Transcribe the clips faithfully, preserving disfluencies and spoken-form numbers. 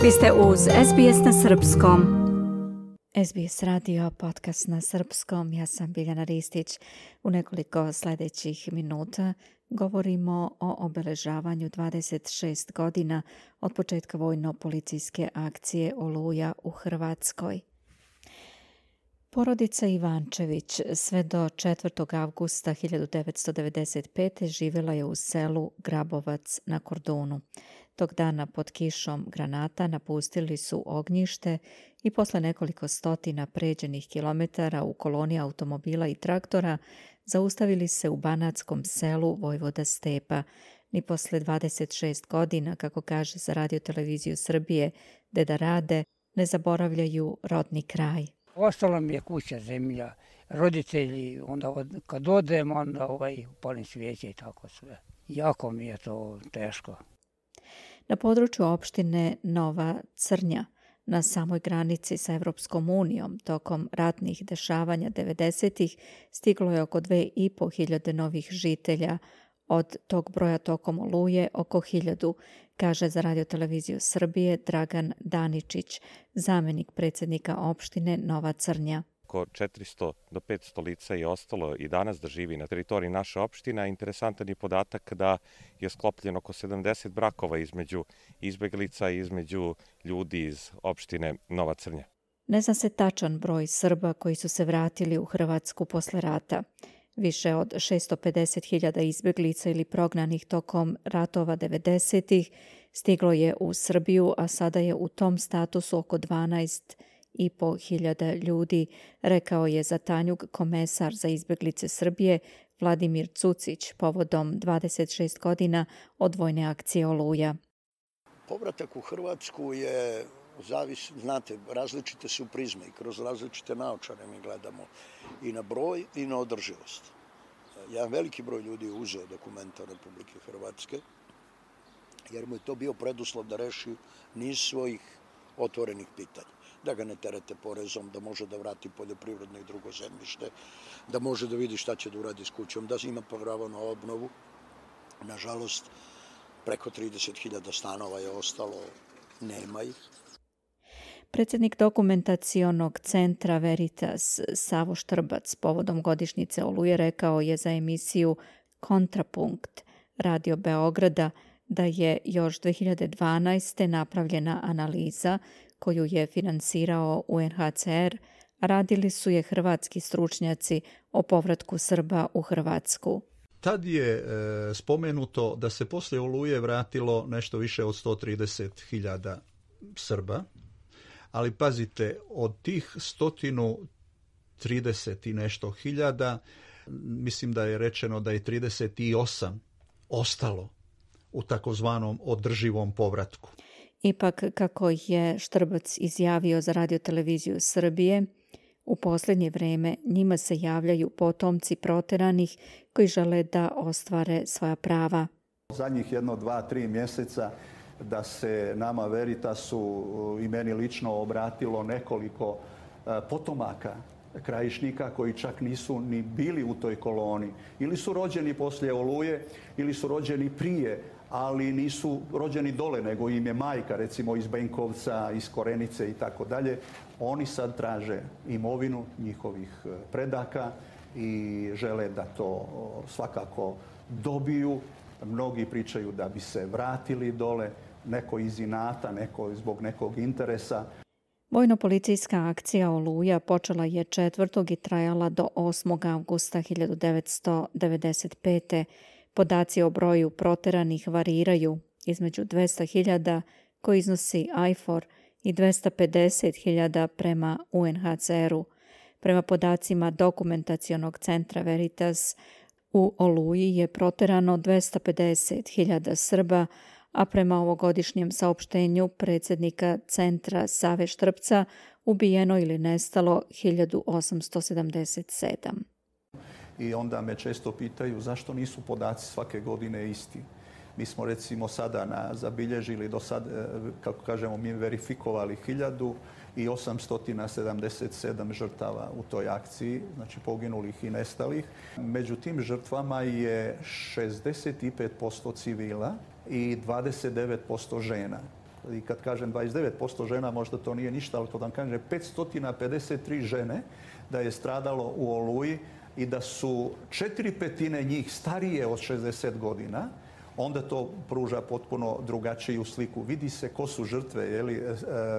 Vi ste uz S B S na srpskom. S B S radio, podcast na srpskom. Ja sam Biljana Ristić. U nekoliko sljedećih minuta govorimo o obeležavanju dvadeset šest godina od početka vojno-policijske akcije Oluja u Hrvatskoj. Porodica Ivančević sve do četvrtog avgusta hiljadu devetsto devedeset pete živjela je u selu Grabovac na Kordunu. Tog dana pod kišom granata napustili su ognjište i posle nekoliko stotina pređenih kilometara u koloni automobila i traktora zaustavili se u banatskom selu Vojvoda Stepa. Ni posle dvadeset šest godina, kako kaže za Radio-televiziju Srbije Deda Rade, ne zaboravljaju rodni kraj. Ostala mi je kuća, zemlja, roditelji, onda od, kad odem, onda ovaj, upalim svijeće i tako sve. Jako mi je to teško. Na području opštine Nova Crnja, na samoj granici sa Evropskom unijom, tokom ratnih dešavanja devedesetih stiglo je oko dve i po hiljade novih žitelja. Od tog broja tokom Oluje oko hiljadu, kaže za Radio-televiziju Srbije Dragan Daničić, zamenik predsjednika opštine Nova Crnja. Oko četiristo do petsto lica je ostalo i danas da živi na teritoriji naše opštine. Interesantan je podatak da je sklopljeno oko sedamdeset brakova između izbeglica i između ljudi iz opštine Nova Crnja. Ne zna se tačan broj Srba koji su se vratili u Hrvatsku posle rata. Više od šesto pedeset hiljada izbeglica ili prognanih tokom ratova devedesetih stiglo je u Srbiju, a sada je u tom statusu oko dvanaest i po hiljada ljudi, rekao je za Tanjug komesar za izbeglice Srbije Vladimir Cucić povodom dvadeset šest godina od vojne akcije Oluja. Povratak u Hrvatsku je, zavis, znate, različite su prizme i kroz različite naočare mi gledamo i na broj i na održivost. Jedan veliki broj ljudi je uzeo dokumenta Republike Hrvatske jer mu je to bio preduslov da reši niz svojih otvorenih pitanja. Da ga ne terete porezom, da može da vrati poljoprivredno i drugo zemljište, da može da vidi šta će da uradi s kućom, da ima pravo na obnovu. Nažalost, preko trideset hiljada stanova je ostalo, nema ih. Predsjednik dokumentacionog centra Veritas Savo Štrbac povodom godišnjice Oluje rekao je za emisiju Kontrapunkt Radio Beograda da je još dve hiljade dvanaeste. napravljena analiza koju je finansirao U N H C R, a radili su je hrvatski stručnjaci o povratku Srba u Hrvatsku. Tad je e, spomenuto da se poslije Oluje vratilo nešto više od sto trideset hiljada Srba, ali pazite, od tih sto trideset i nešto hiljada, mislim da je rečeno da je trideset osam ostalo u takozvanom održivom povratku. Ipak, kako je Štrbac izjavio za Radio-televiziju Srbije, u posljednje vrijeme njima se javljaju potomci proteranih koji žele da ostvare svoja prava. Zadnjih jedno, dva, tri mjeseca da se nama Veritasu i meni lično obratilo nekoliko potomaka krajišnika koji čak nisu ni bili u toj koloni. Ili su rođeni poslije Oluje, ili su rođeni prije, ali nisu rođeni dole, nego im je majka, recimo iz Benkovca, iz Korenice i tako dalje. Oni sad traže imovinu njihovih predaka i žele da to svakako dobiju. Mnogi pričaju da bi se vratili dole, neko iz inata, neko zbog nekog interesa. Vojno-policijska akcija Oluja počela je četvrtog i trajala do osmog avgusta hiljadu devetsto devedeset pete. Podaci o broju proteranih variraju između dvesta hiljada koji iznosi I F O R i dvesta pedeset hiljada prema U N H C R-u. Prema podacima dokumentacionog centra Veritas, u Oluji je proterano dvesta pedeset hiljada Srba, a prema ovogodišnjem saopštenju predsjednika centra Save Štrpca ubijeno ili nestalo hiljadu osamsto sedamdeset sedam. I onda me često pitaju zašto nisu podaci svake godine isti. Mi smo recimo sada na, zabilježili do sad, kako kažemo mi, verifikovali hiljadu i osamsto sedamdeset sedam žrtava u toj akciji, znači poginulih i nestalih. Među tim žrtvama je šezdeset pet posto civila i dvadeset devet posto žena. I kad kažem dvadeset devet posto žena, možda to nije ništa, ali kad vam kažem petsto pedeset tri žene da je stradalo u Oluji i da su četiri petine njih starije od šezdeset godina, onda to pruža potpuno drugačiju sliku. Vidi se ko su žrtve, je li,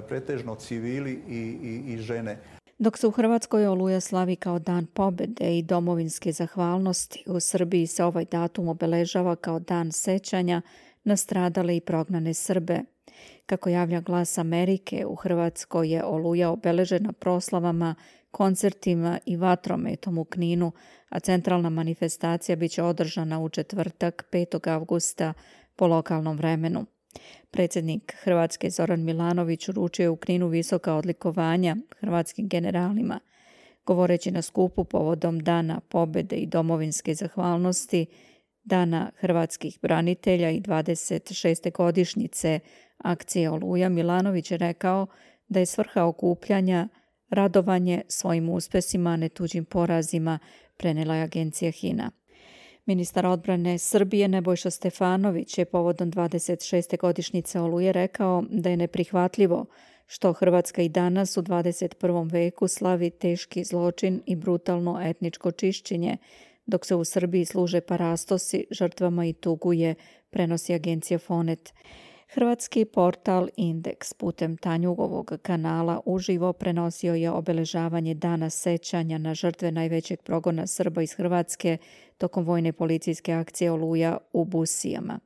pretežno civili i, i, i žene. Dok se u Hrvatskoj Oluja slavi kao dan pobjede i domovinske zahvalnosti, u Srbiji se ovaj datum obeležava kao dan sećanja na stradale i prognane Srbe. Kako javlja Glas Amerike, u Hrvatskoj je Oluja obeležena proslavama, koncertima i vatrometom u Kninu, a centralna manifestacija biće održana u četvrtak petog avgusta po lokalnom vremenu. Predsjednik Hrvatske Zoran Milanović uručio je u Kninu visoka odlikovanja hrvatskim generalima. Govoreći na skupu povodom Dana pobjede i domovinske zahvalnosti, Dana hrvatskih branitelja i dvadeset šeste godišnjice akcije Oluja, Milanović je rekao da je svrha okupljanja radovanje svojim uspesima, a ne tuđim porazima, prenijela je agencija HINA. Ministar odbrane Srbije Nebojša Stefanović je povodom dvadeset šeste godišnjice Oluje rekao da je neprihvatljivo što Hrvatska i danas u dvadeset prvom veku slavi teški zločin i brutalno etničko čišćenje, dok se u Srbiji služe parastosi žrtvama i tuguje, prenosi agencija Fonet. Hrvatski portal Indeks putem Tanjugovog kanala uživo prenosio je obeležavanje Dana sećanja na žrtve najvećeg progona Srba iz Hrvatske tokom vojne policijske akcije Oluja u Busijama.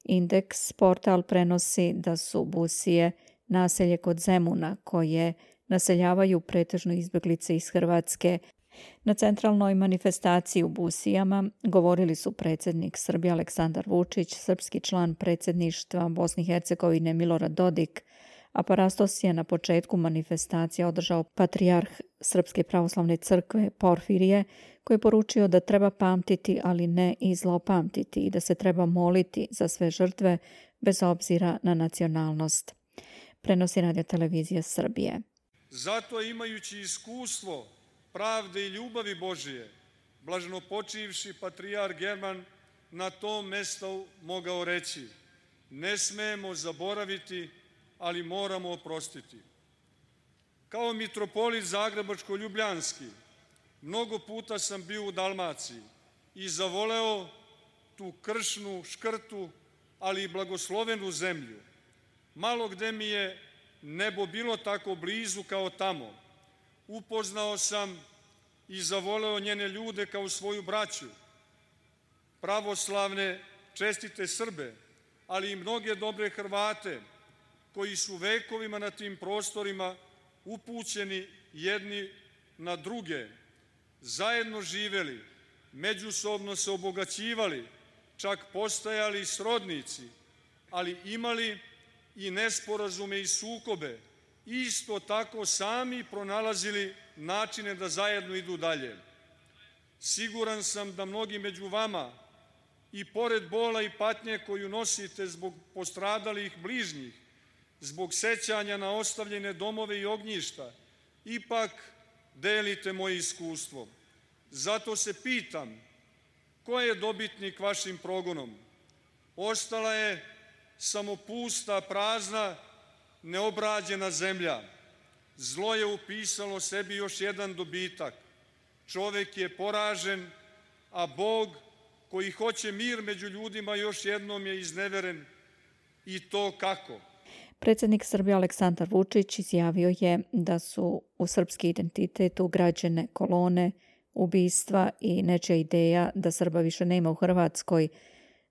Indeks portal prenosi da su Busije naselje kod Zemuna koje naseljavaju pretežno izbjeglice iz Hrvatske. Na centralnoj manifestaciji u Busijama govorili su predsjednik Srbije Aleksandar Vučić, srpski član predsjedništva Bosne i Hercegovine Milorad Dodik, a parastos je na početku manifestacije održao patrijarh Srpske pravoslavne crkve Porfirije, koji je poručio da treba pamtiti, ali ne i zlopamtiti, i da se treba moliti za sve žrtve bez obzira na nacionalnost. Prenosi Radio televizija Srbije. Zato imajući iskustvo pravde i ljubavi Božije, blaženo počivši patrijarh German na tom mestu mogao reći: ne smemo zaboraviti, ali moramo oprostiti. Kao mitropolit Zagrebačko-Ljubljanski, mnogo puta sam bio u Dalmaciji i zavoleo tu kršnu, škrtu, ali i blagoslovenu zemlju. Malo gde mi je nebo bilo tako blizu kao tamo. Upoznao sam i zavoleo njene ljude kao svoju braću, pravoslavne, čestite Srbe, ali i mnoge dobre Hrvate koji su vekovima na tim prostorima upućeni jedni na druge, zajedno živeli, međusobno se obogaćivali, čak postajali srodnici, ali imali i nesporazume i sukobe, isto tako sami pronalazili načine da zajedno idu dalje. Siguran sam da mnogi među vama, i pored bola i patnje koju nosite zbog postradalih bližnjih, zbog sećanja na ostavljene domove i ognjišta, ipak delite moje iskustvo. Zato se pitam, ko je dobitnik vašim progonom? Ostala je samo pusta, prazna, neobrađena zemlja. Zlo je upisalo sebi još jedan dobitak. Čovek je poražen, a Bog koji hoće mir među ljudima još jednom je izneveren. I to kako? Predsjednik Srbije Aleksandar Vučić izjavio je da su u srpski identitet ugrađene kolone, ubistva i nečija ideja da Srba više nema u Hrvatskoj,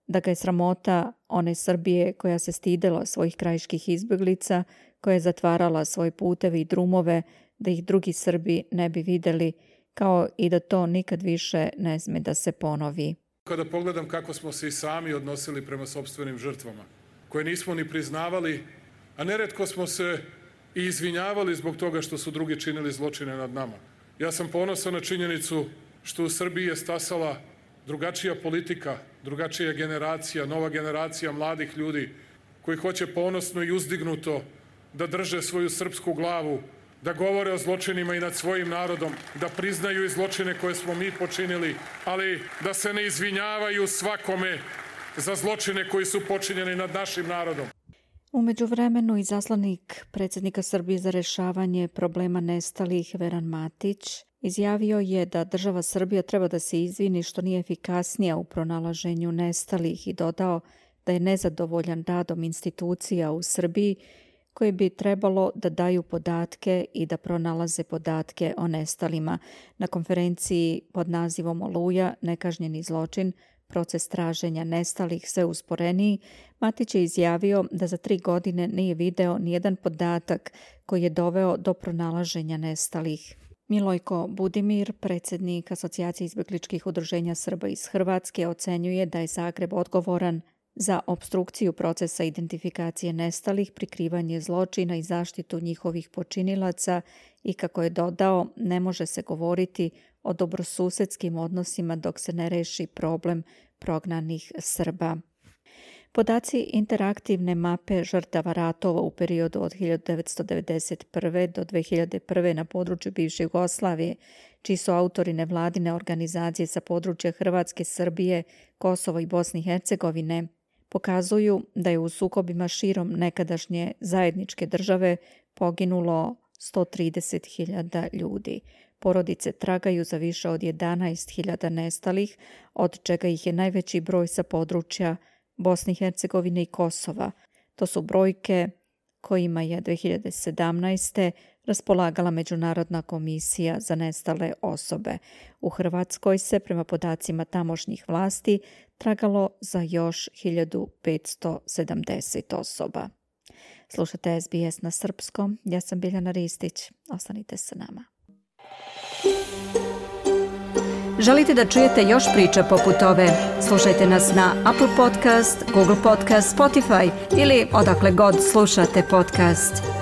da ga je sramota one Srbije koja se stidela svojih krajiških izbjeglica, koja je zatvarala svoje puteve i drumove, da ih drugi Srbi ne bi vidjeli, kao i da to nikad više ne sme da se ponovi. Kada pogledam kako smo se i sami odnosili prema sopstvenim žrtvama, koje nismo ni priznavali, a neretko smo se i izvinjavali zbog toga što su drugi činili zločine nad nama. Ja sam ponosan na činjenicu što u Srbiji je stasala drugačija politika, drugačija generacija, nova generacija mladih ljudi koji hoće ponosno i uzdignuto da drže svoju srpsku glavu, da govore o zločinima i nad svojim narodom, da priznaju i zločine koje smo mi počinili, ali da se ne izvinjavaju svakome za zločine koji su počinjeni nad našim narodom. U međuvremenu izaslanik predsjednika Srbije za rješavanje problema nestalih Veran Matić izjavio je da država Srbija treba da se izvini što nije efikasnija u pronalaženju nestalih i dodao da je nezadovoljan radom institucija u Srbiji koje bi trebalo da daju podatke i da pronalaze podatke o nestalima. Na konferenciji pod nazivom Oluja, nekažnjeni zločin, proces traženja nestalih sve usporeniji, Matić je izjavio da za tri godine nije video nijedan podatak koji je doveo do pronalaženja nestalih. Milojko Budimir, predsjednik Asocijacije izbjegličkih udruženja Srba iz Hrvatske, ocenjuje da je Zagreb odgovoran za opstrukciju procesa identifikacije nestalih, prikrivanje zločina i zaštitu njihovih počinilaca i, kako je dodao, ne može se govoriti o dobrosusedskim odnosima dok se ne reši problem prognanih Srba. Podaci interaktivne mape žrtava ratova u periodu od hiljadu devetsto devedeset prve. do dve hiljade prve. na području bivše Jugoslavije, čiji su autori nevladine organizacije sa područja Hrvatske, Srbije, Kosova i Bosne i Hercegovine, pokazuju da je u sukobima širom nekadašnje zajedničke države poginulo sto trideset hiljada ljudi. Porodice tragaju za više od jedanaest hiljada nestalih, od čega ih je najveći broj sa područja Bosne i Hercegovine i Kosova. To su brojke kojima je dve hiljade sedamnaeste. raspolagala Međunarodna komisija za nestale osobe. U Hrvatskoj se, prema podacima tamošnjih vlasti, tragalo za još hiljadu petsto sedamdeset osoba. Slušate S B S na srpskom. Ja sam Biljana Ristić. Ostanite sa nama. Želite da čujete još priča poput ove? Slušajte nas na Apple Podcast, Google Podcast, Spotify ili odakle god slušate podcast.